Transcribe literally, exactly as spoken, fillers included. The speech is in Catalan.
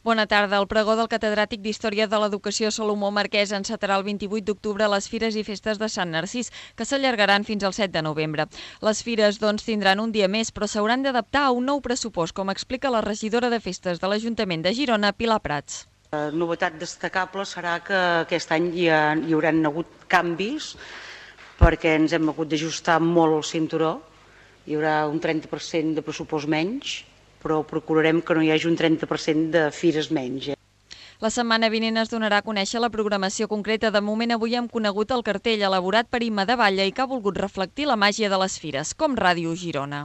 Bona tarda. El pregó del catedràtic d'Història de l'Educació Salomó Marquès encetarà el vint-i-vuit d'octubre a les Fires i Festes de Sant Narcís, que s'allargaran fins al set de novembre. Les fires, doncs, tindran un dia més, però s'hauran d'adaptar a un nou pressupost, com explica la regidora de Festes de l'Ajuntament de Girona, Pilar Prats. La novetat destacable serà que aquest any hi, ha, hi hauran hagut canvis perquè ens hem hagut d'ajustar molt el cinturó. Hi haurà un trenta per cent de pressupost menys, però procurarem que no hi hagi un trenta per cent de fires menys. La setmana vinent es donarà a conèixer la programació concreta. De moment, avui hem conegut el cartell elaborat per Imma de Batlle i que ha volgut reflectir la màgia de les fires, com Ràdio Girona.